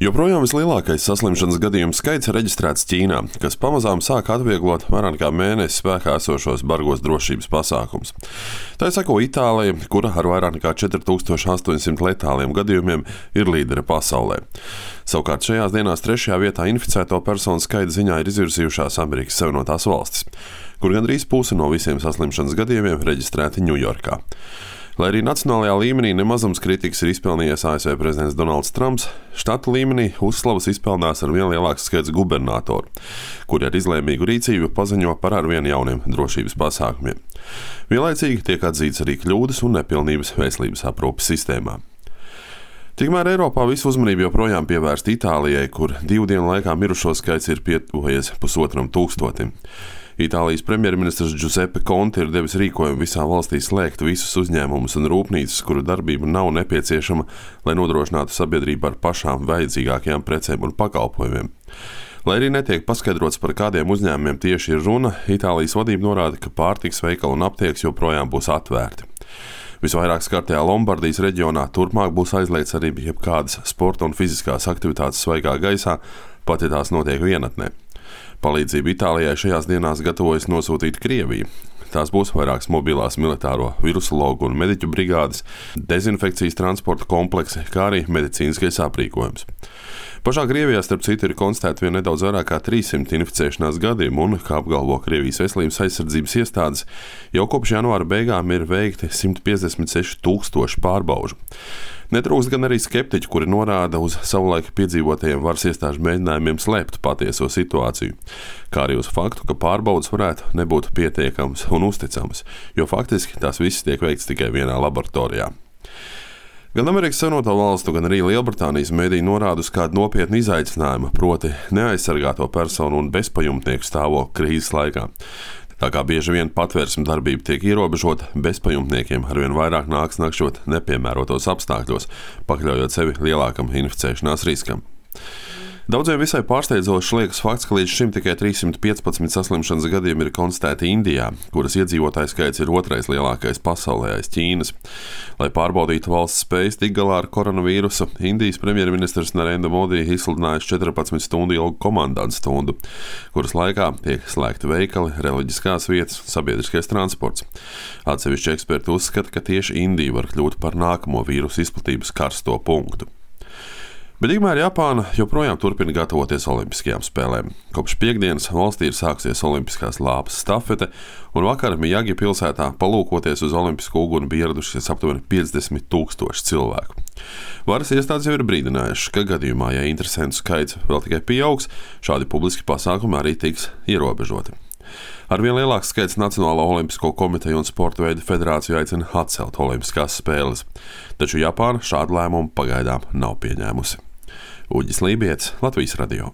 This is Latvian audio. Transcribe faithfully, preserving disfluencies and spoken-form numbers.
Joprojām vislielākais saslimšanas gadījumu skaits ir reģistrēts Ķīnā, kas pamazām sāk atvieglot vairāk kā mēnesi spēkā esošos bargos drošības pasākumus. Tā sako Itālija, kura ar vairāk nekā četri tūkstoši astoņsimt letāliem gadījumiem ir līdere pasaulē. Savukārt šajās dienās trešajā vietā inficēto personu skaita ziņā ir izvirzījušās Amerikas Savienotās valstis, kur gandrīz puse no visiem saslimšanas gadījumiem reģistrēti Ņujorkā. Lai arī nacionālajā līmenī nemazums kritikas ir izpelnījies A S V prezidents Donalds Trumps, štata līmenī uzslavas izpelnās ar vien lielāks skaits gubernatoru, kuri ar izlēmīgu rīcību paziņo par arvien jauniem drošības pasākumiem. Vienlaicīgi tiek atzīts arī kļūdas un nepilnības veselības aprūpes sistēmā. Tikmēr Eiropā visu uzmanību joprojām pievērsta Itālijai, kur divu dienu laikā mirušo skaits ir pietuvojies pusotram tūkstotim. Itālijas premjerministrs Giuseppe Conte ir devis rīkojumu visā valstī slēgt visus uzņēmumus un rūpnīcas, kuru darbība nav nepieciešama, lai nodrošinātu sabiedrību ar pašām vajadzīgākajām precēm un pakalpojumiem. Lai arī netiek paskaidrots, par kādiem uzņēmumiem tieši ir runa, Itālijas vadība norāda, ka pārtikas veikali un aptiekas joprojām būs atvērti. Visvairāk skartajā Lombardijas reģionā turpmāk būs aizliegts arī jebkādas sporta un fiziskās aktivitātes svaigā gaisā, pat ja tās notiek vienatnē. Palīdzību Itālijai šajās dienās gatavojas nosūtīt Krievija. Tās būs vairākas mobilās militāro virusologu un mediķu brigādes, dezinfekcijas transporta kompleksi, kā arī medicīniskais aprīkojums. Pašā Krievijā, starp citu, ir konstatēti vien nedaudz vairāk kā trīssimt inficēšanās gadījumu un, kā apgalvo Krievijas veselības aizsardzības iestādes, jau kopš janvāra beigām ir veikti simt piecdesmit seši tūkstoši pārbaužu. Netrūkst gan arī skeptiķi, kuri norāda uz savulaik piedzīvotajiem varas iestāžu mēģinājumiem slēpt patieso situāciju, kā arī uz faktu, ka pārbaudas varētu nebūt pietiekamas un uzticamas, jo faktiski tās visas tiek veikts tikai vienā laboratorijā. Gan Amerikas Savienoto Valstu, gan arī Lielbritānijas mediji norāda uz kādu nopietnu izaicinājumu, proti neaizsargāto personu un bezpajumtnieku stāvokli krīzes laikā. Tā kā bieži vien patvērsmes darbība tiek ierobežota, bezpajumtniekiem arvien vairāk nāks nakšot nepiemērotos apstākļos, pakļaujot sevi lielākam inficēšanās riskam. Daudziem visai pārsteidzošs liekas fakts, ka līdz šim tikai trīssimt piecpadsmit saslimšanas gadījumi ir konstatēti Indijā, kuras iedzīvotāju skaits ir otrais lielākais pasaulē aiz Ķīnas. Lai pārbaudītu valsts spējas tikt galā ar koronavīrusu, Indijas premjerministrs Narendra Modi izsludinājis četrpadsmit stundu ilgu komandantu stundu, kuras laikā tiek slēgti veikali, reliģiskās vietas un sabiedriskais transports. Atsevišķi eksperti uzskata, ka tieši Indija var kļūt par nākamo vīrusu izplatības karsto punktu. Bet tikmēr Japāna joprojām turpina gatavoties olimpiskajām spēlēm. Kopš piektdienas valstī ir sākusies olimpiskās lāpas stafete, un vakar Mijagi pilsētā palūkoties uz olimpisko uguni bija ieradušies aptuveni piecdesmit tūkstoši cilvēku. Varas iestādes jau ir brīdinājušas, ka gadījumā, ja interesentu skaits vēl tikai pieaugs, šādi publiski pasākumi arī tiks ierobežoti. Arvien lielāks skaits Nacionālo olimpisko komiteju un sporta veidu federāciju aicina atcelt olimpiskās spēles, taču Japāna šādu lēmumu pagaidām nav pieņēmusi. Uģis Lībijets, Latvijas radio.